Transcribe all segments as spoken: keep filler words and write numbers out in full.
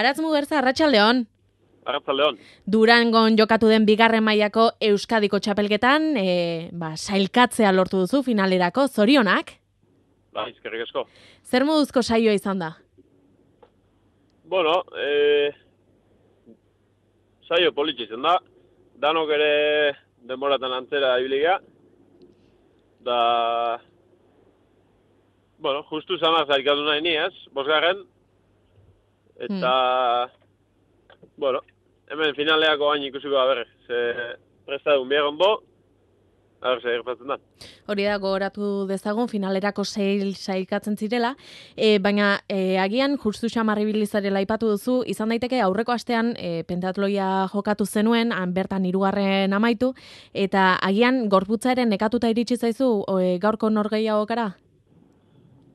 Aratz Mugerza, arratsaldeon. Arratsaldeon. Durangon jokatu den bigarren mailako Euskadiko txapelketan, e, ba, sailkatzea lortu duzu finalerako, zorionak. Ba, eskerrik asko. Zer moduzko saioa izan da? Bueno, eh, saio politxe izan da. Danok ere denboratan antzera ibilia. Da, bueno, justu zanak zailkatu nahi ni ez, bosgarren. Eta, hmm. bueno, hemen finaleako hain ikusiko da berre. Ze prestadun biagon bo, a ber, zer gertatzen da. Hori da, gogoratu dezagun, finalerako seil sailkatzen zirela, e, baina e, agian justu xamarribilizarela aipatu duzu, izan daiteke aurreko astean e, pentatloia jokatu zenuen, han bertan hirugarren amaitu, eta agian gorputzaren nekatuta iritsi zaizu e, gaurko norgehiagokara?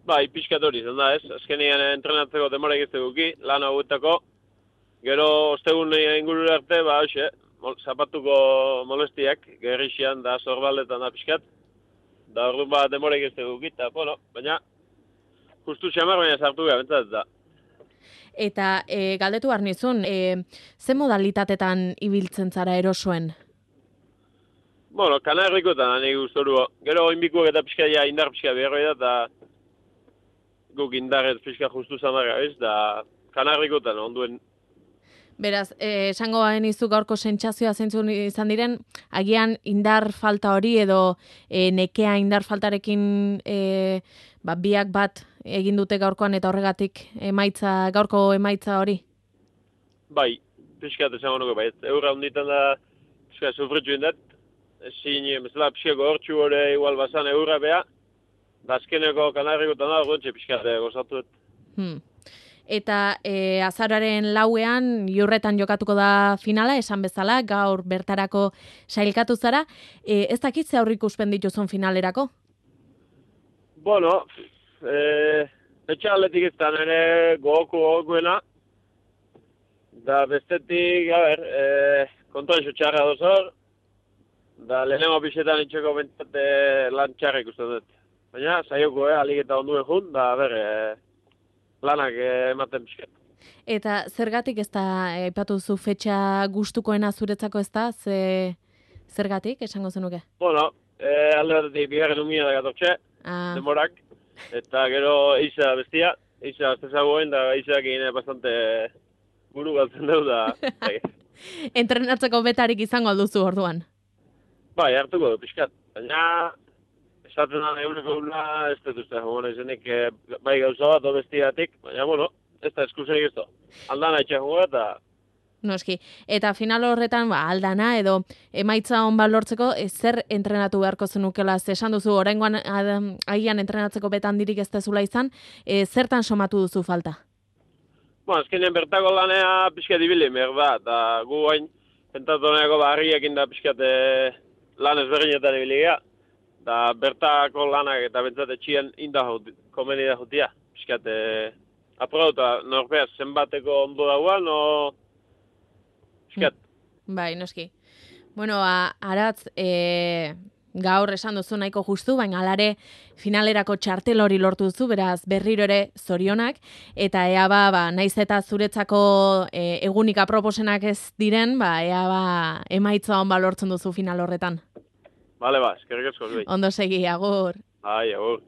Bai, pixkat hori izan da ez, azkenean entrenatzeko demora egizteguki, lan hauetako, gero ostegun ingurura arte, ba, hoxe, zapatuko molestiak, gerrixian da zorbaldetan da pixkat, da orduan ba demora egizteguki, eta, bueno, baina, justu xamar baina sartu gara, bentzat da. Eta e, galdetu behar nizun, e, ze modalitatetan ibiltzen zara erosoen? Bueno, kanarrikotan nahi guztoru, gero oinbikuak eta pixkaia indar pixka beharroi da, eta guk indarrez pixka justu zamarra, ez, da kanarrikotan onduen. Beraz, eh, esango banizu gaurko sentsazioa zeintzun izan diren, agian indar falta hori edo eh, nekea indar faltarekin eh, ba, biak bat egin dute gaurkoan eta horregatik emaitza, gaurko emaitza hori? Bai, pixkat esango nuke bai, eurra honditan da pixka sufritxu indat, ezin, mesela pixka gortxu hori igual bazan eurra beha, da azkeneko kanarrikotan da, gontxe pixkat gozatu dut. Hmm. Eta e, azararen lauean, Iurretan jokatuko da finala, esan bezala, gaur bertarako sailkatu zara. E, ez dakit ze aurreikuspen dituzun finalerako? Bueno, e, etxe atletik izan ere gogoko gogokuena. Da bestetik, a ber, e, kontuan txarra dozor. Da lehenengo pixetan itxeko bentzate lan txarra ikusten dut. Baina, saioko, eh, alik eta onduen jun, da, ber, e, lanak ematen pixkat. Eta zergatik ez da, aipatu zu fetxa gustukoena zuretzako ez da, ze, zergatik, esango zenuke? Bueno, e, alde batetik bigarren umia da gatortxe, ah. demorak, eta gero eiza bestia, eiza astezagoen, da eizak egine bastante buru galtzen dugu da. Entrenatzeko betarik izango alduzu orduan? Bai, hartuko du pixkat, baina esaten da eureko una, ez dut uste, bueno, izenik bai gauza bat, obestiatik, baina, bueno, ez da eskusenik ez da. Aldana etxe jugu eta... Noski, eta final horretan, ba, aldana edo emaitza hon bat lortzeko, e, zer entrenatu beharko zenukela, esan duzu, oraingoan agian entrenatzeko betan dirik ez dezula izan, e, zertan somatu duzu falta? Bueno, azkenean bertako lanea pixka dibili, mer da, eta gu hain, pentatu nahiako barriekin da pixkat lan ezberdinetan ibiliga. Da bertako lanak eta bentsat etxien inda komeni da jutia. Piskat, eh, aprauta, norpea zenbateko ondo dagoan, no... Piskat. Bai, noski. Bueno, a, Aratz, e, gaur esan duzu nahiko justu, baina alare finalerako txartel hori lortu duzu, beraz berriro ere zorionak, eta ea ba, ba naiz eta zuretzako e, egunik aproposenak ez diren, ba, ea ba emaitza hon ba lortzen duzu final horretan. Bale, ba, eskerrik asko. Ondo segi, agur. Ai, agur.